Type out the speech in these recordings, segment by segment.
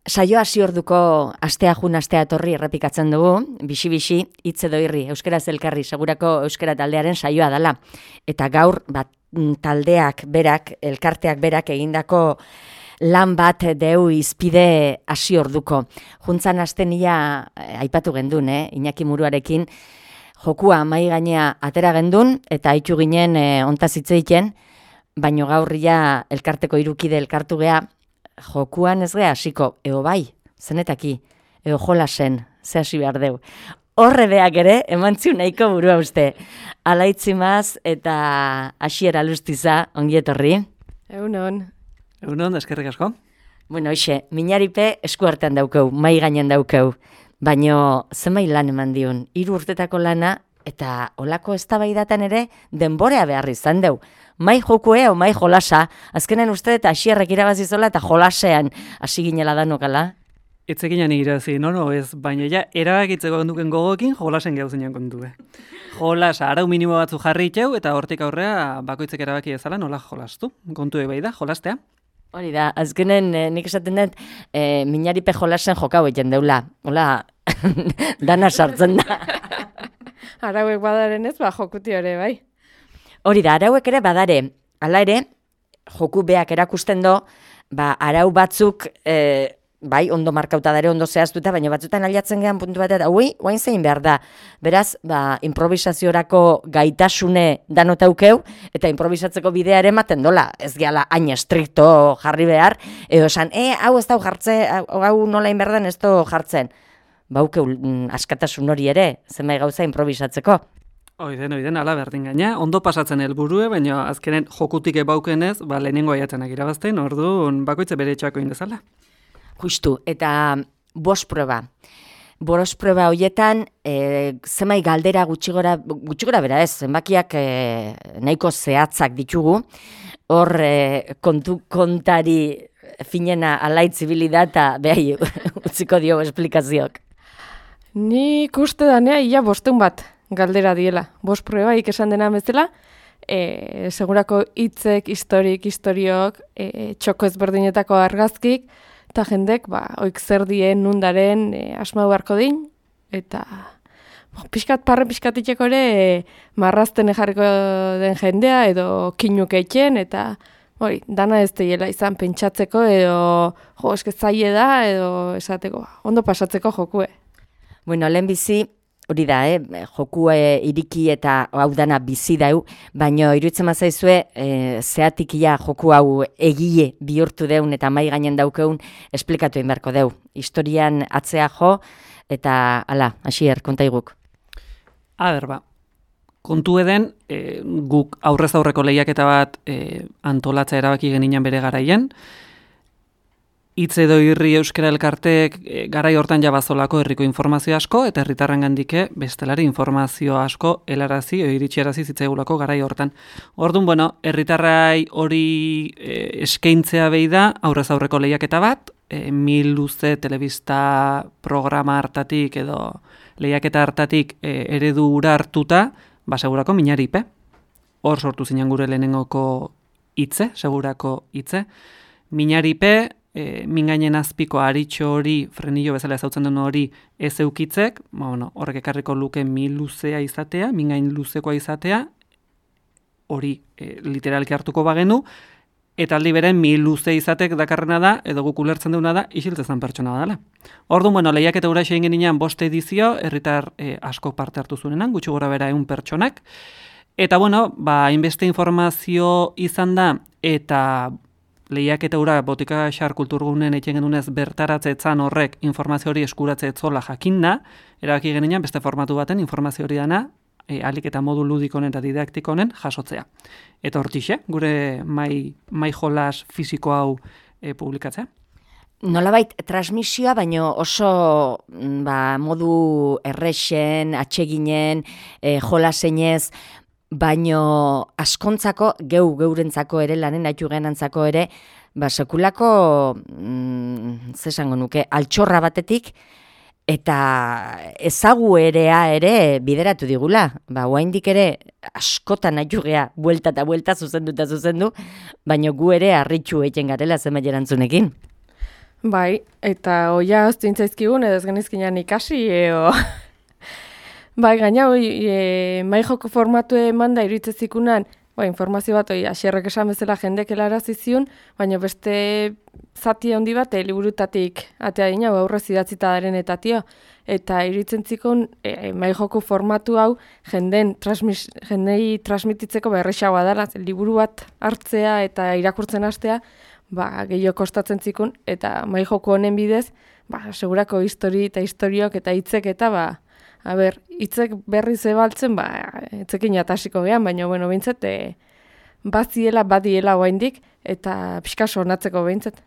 Saio hasi orduko astea jun astea etorri errepikatzen dugu, bixi-bixi, hitz edo irri, euskaraz elkarri, segurako euskara taldearen saioa dela. Eta gaur, taldeak berak, elkarteak berak egindako lan bat deu izpide hasi orduko. Juntzan hasten ia, aipatu gendun, Iñaki Muruarekin, jokua mai gainea atera gendun, eta haitu ginen ontaz hitzeiten, baino gaur ia elkarteko irukide elkartu gea, jokuan ez gea hasiko, eo bai, zenetaki, eo jolasen, ze hasi behar deu. Horre beak ere, emantziu nahiko burua uste. Alaitzimaz eta hasiera lustiza, ongi etorri. Egunon, eskerrik asko. Bueno, hoxe, minaripe eskuartean daukeu, mai gainen daukeu, baino zenbait lan eman diun, 3 urtetako lana, eta olako eztabaidatan ere denborea behar izan deu. Mai jokue o mai jolasa, azkenen uste eta asierrek irabazizola eta jolasean hasi ginela danokala. Etzekinan irazi, no, ez, baina ja, erabakitzeko genduken gogokin jolasen gauzenean kontue. Jolasa, arau minimo batzu jarri itxeu, eta hortik aurrea bakoitzek erabaki ezala nola jolastu. Kontue bai da, jolastea. Hori da, azkenen nik esaten dut, minaripe jolasen jokau egiten deula. Hola, dana sartzen da. Arauek badaren ez, jokuti hori, bai. Hori da, arauek ere badare, hala ere, joku beak erakusten do, arau batzuk, bai, ondo markauta dare, ondo zehaztuta, baina batzutan aliatzen gehan puntu bat, eta guain zein behar da. Beraz, improvisaziorako gaitasune danotaukeu, eta improvisatzeko bidea ere ematen dola, ez gehala hain estrikto jarri behar, edo esan, hau ez dau jartzen, hau nola inberdan ez dau jartzen. Baukeu askatasun hori ere, zenbait gauza improvisatzeko. Oiden, ala berdin gaina, ondo pasatzen helburue, baina azkenen jokutik ebaukenez, lehenengo aiatzenak irabazten, orduan bakoitze bere etxako indezala. Justu, eta bost proba. Bost proba horietan, zenbait galdera gutxigora bera ez, zenbakiak nahiko zehatzak ditugu, hor kontari finena alaitzibili da, eta behai utziko dio esplikazioak. Nik uste danea, ia 5 bat galdera diela. 5 probaik esan dena bezala, segurako hitzek, historiok, txoko ezberdinetako argazkik, eta jendek, oik zer dien, nundaren, asmau beharko din, eta pixkat itxeko ere, marrazten jarriko den jendea, edo kinuk eitzen, eta dana ez dela izan pentsatzeko, edo eske zaie da, edo esateko, ondo pasatzeko jokue. Bueno, lehenbizi, hori da, joku iriki eta hau dana bizi dau, baina iruditzen mazaizue, zehatik ia joku hau egile bihurtu deun eta mai gainen daukeun, esplikatu egin beharko deu. Historian atzea jo, eta ala, hasier, kontaiguk. Kontu eden, guk aurrez aurreko lehiaketa bat antolatza erabaki geninan bere garaien, hitz edo irri euskara elkarteek garai hortan jabazolako herriko informazio asko, eta herritarren gandike bestelari informazio asko helarazi o iritsiarazi zitzaigulako garai hortan. Orduan, herritarrai hori eskaintzea behi da aurrez aurreko lehiaketa bat, 1000 luze telebista programa hartatik edo lehiaketa hartatik eredu ura hartuta, segurako minaripe. Hor sortu zinen gure lehenengoko hitze, segurako hitze. Minaripe, mingainen azpiko aritxo hori, frenillo bezala ezautzen duen hori ez eukitzek, horrek ekarriko luke 1000 luzea izatea, mingain luzekoa izatea, hori literalki hartuko bagenu, eta aldi beren 1000 luze izatek dakarrena da, edo guk ulertzen duna da, isiltzezan pertsona badala. Orduan, lehiaketa ura egin geninean 5 edizio, herritar asko parte hartu zuenenan, gutxi gora bera 100 pertsonak, eta hainbeste informazio izan da, eta lehiaketa ura botika xar kulturgunen etxen genunez bertaratzeetzan horrek informazio hori eskuratze etzola jakinda, erabaki geninean beste formatu baten informazio hori dana, alik eta modu ludikonen eta didaktikonen jasotzea. Eta hortixe, gure mai jolas fisiko hau publikatzea. Nolabait transmisioa, baino oso modu errexen, atseginen, jolasenez, baino askontzako, geurentzako ere, lanen haitu genantzako ere, sekulako, zesango nuke, altxorra batetik, eta ezaguerea ere bideratu digula. Oraindik ere askotan haitu gea, buelta eta buelta zuzendu, baino gu ere harritxu egiten garela zenbait erantzunekin. Bai, eta oia hoztintzaizkigun, edo ez genizkinan ikasi, bai, gaina, mai joko formatu eman da iritzezikunan, informazio bat, asierrek esan bezala jendek helarazi zion, baina beste zati handi bat, liburutatik atea dina, aurrez idatzita daren eta tio, eta iritzen zikon mai joko formatu hau jendei transmititzeko berrexagoa dela, liburu bat hartzea eta irakurtzen hastea, gehiago kostatzen zikun, eta mai joko honen bidez, segurako histori eta historiok eta hitzek eta, hitzek berri zebaltzen, etzekin atasiko gehan, baina, behintzat, badiela oaindik, eta pixka sonatzeko behintzat.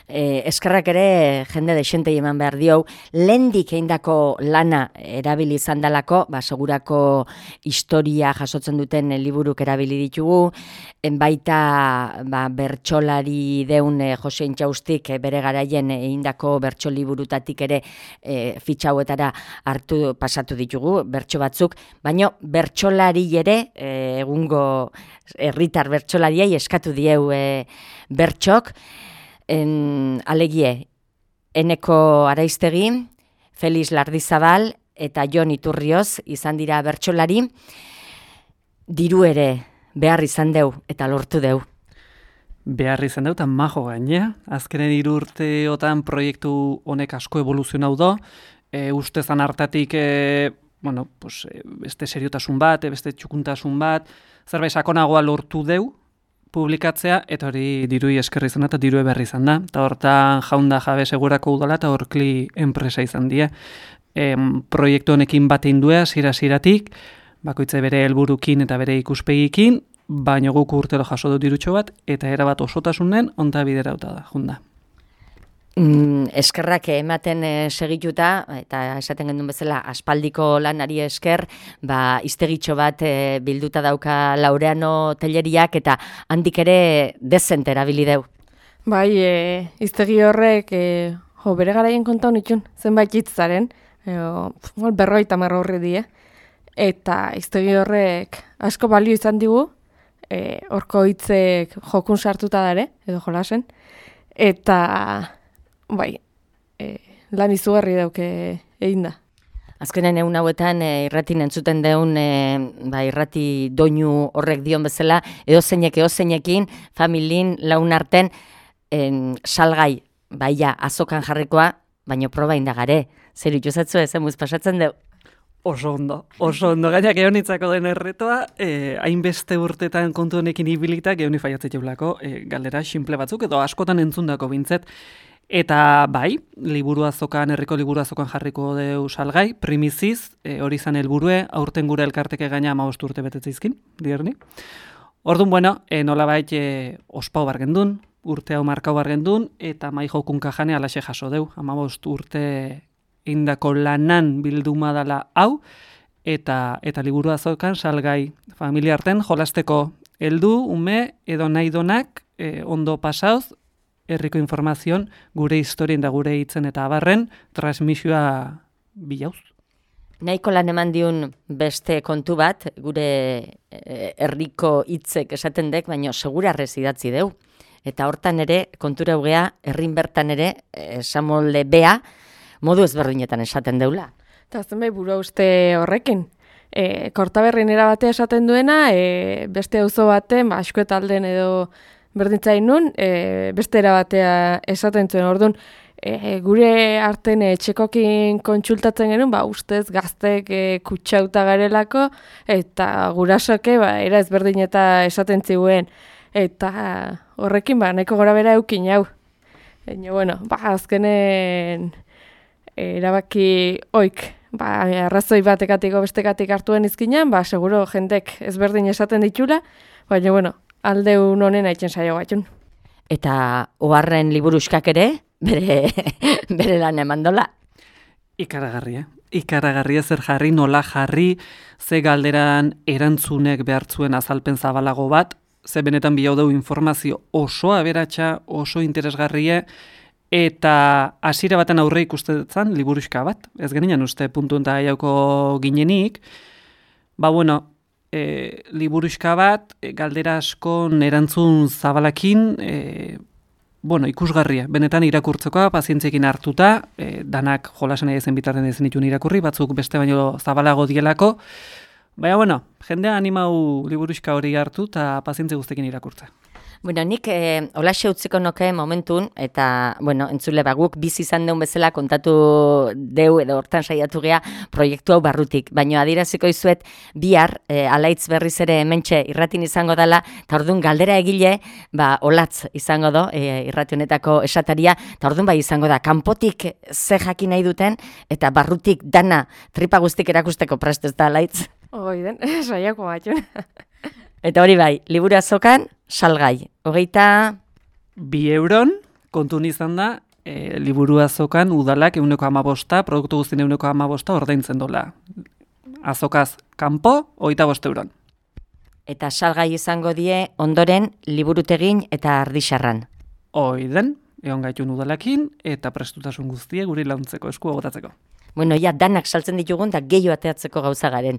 Eskerrak ere jende desentei eman behar dio, lehendik eindako lana erabili izan dalako, segurako historia jasotzen duten liburuk erabili ditugu, baita bertsolari deun Jose Intxaustik bere garaien eindako bertso liburutatik ere fitxauetara hartu pasatu ditugu, bertso batzuk, baina bertsolari ere, egungo herritar bertsolariei eskatu dieu bertxok, alegie, Eneko Araiztegi, Felix Lardizabal eta Jon Iturrioz izan dira bertsolari, diru ere behar izan deu eta lortu deu. Behar izan deu eta majo gainea, azkenen 3 urteotan proiektu honek asko evoluzionau do, ustezan hartatik, beste seriotasun bat, beste txukuntasun bat, zerbait sakonagoa lortu deu, publikatzea, eta hori dirui eskerri izan eta dirue berri izan da. Eta hortan jaunda jabe segurako udala eta horkli enpresa izan die. Proiektu honekin bat indua, zira-ziratik, bakoitze bere helburukin eta bere ikuspegikin, baina guk urtero jaso dut dirutxo bat, eta erabat osotasunen onta biderauta da, junda. Eskerrak ematen segituta, eta esaten gendun bezala aspaldiko lanari esker, iztegitxo bat bilduta dauka Laureano Telleriak, eta handik ere dezent erabili deu. Bai, iztegi horrek, bere garaien konta honitxun, zenbait hitzaren, 50 horri die, eta iztegi horrek asko balio izan digu, horko hitzek jokun sartuta dare, edo jolasen, eta lan izugarri dauke egin da. Azkenen egun hauetan irratin entzuten deun irrati doinu horrek dion bezala, eozeinekin, familin, laun arten, salgai, azokan jarrikoa, baino proba indagare. Zer ituzatzu ezemuz pasatzen deu? Oso ondo, gainak eonitzako den erretoa, hainbeste urtetan kontu honekin ibilitak eoni faiatzea jaulako, galdera simple batzuk, edo askotan entzundako bintzet. Eta liburu azokan, herriko liburu azokan jarriko deu salgai, primiziz, hori izan helburue, aurten gure elkarteke gaina 15 urte betetzeizkin, dierni. Orduan, nolabait ospau bargendun, urte hau markau bargendun, eta mai jokun kajane alaxe jaso deu, 15 urte indako lanan bilduma dala hau, eta liburu azokan salgai familiarten jolasteko heldu, ume, edo nahi donak, ondo pasauz, herriko informazion gure historien da gure hitzen eta abarren transmisioa bilauz. Nahiko lan eman diun beste kontu bat, gure herriko hitzek esaten dek, baina segurarrez idatzi deu. Eta hortan ere, kontura hugea, herrin bertan ere, esamolde bea, modu ezberdinetan esaten deula. Eta zenbait buru uste horrekin. Kortaberrin erabatea esaten duena, beste auzo baten, askoetalden edo berdintzain nun, beste erabatea esaten zuen. Orduan, gure arten txekokin kontsultatzen genuen, ustez gaztek kutsauta garelako, eta gurasoke era ezberdin eta esaten ziguen. Eta horrekin nahiko gora bera eukin hau. Azkenen erabaki oik, arrazoi batekatiko bestekatik hartuen izkinan, seguro jendek ezberdin esaten ditula, baina aldeun honen aitzen saio batxun. Eta oharren liburuskak ere, bere lan emandola. Ikaragarria zer jarri, nola jarri, ze galderan erantzunek behartzuen azalpen zabalago bat, ze benetan bilau dau informazio oso aberatsa, oso interesgarria, eta hasiera baten aurre ikustetan liburuska bat. Ez genian uste puntu eta jauko ginenik, liburuska bat, galdera askon erantzun zabalakin, ikusgarria. Benetan irakurtzekoa, pazientziekin hartuta, danak jolasen ezen bitarten ezen ditun irakurri, batzuk beste baino zabalago dielako. Baina, jendea animau liburuxka hori hartu eta pazientzi guztekin irakurtza. Bueno, nik holaxe utziko noke momentun, eta, entzule guk bizi izan deun bezala kontatu deu edo hortan saiatu gea proiektu hau barrutik. Baina adieraziko izuet bihar alaitz berriz ere hementxe irratin izango dela, eta orduan galdera egile, olatz izango do, irrati honetako esataria, eta orduan izango da, kanpotik ze jakin nahi duten, eta barrutik dana tripa guztik erakusteko prest ez da alaitz. Oiden, saiako batxun. Eta hori bai, liburu azokan, salgai. 2 euron, kontun izan da, liburu azokan udalak 115, produktu guztien 115 ordaintzen dola. Azokaz kanpo, 25 euron. Eta salgai izango die ondoren liburutegin eta ardixarran. Oiden, egon gaitun udalakin, eta prestutasun guztie guri launtzeko, esku agotatzeko. Bueno, danak saltzen ditugun, da gehiago ateatzeko gauza garen.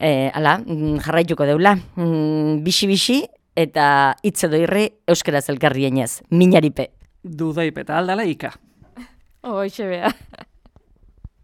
Jarraituko deula. Bixi-bixi eta hitz edo irri euskaraz elkarri enez. Minaripe. Dudaipe eta aldala ika. Hoxe bea.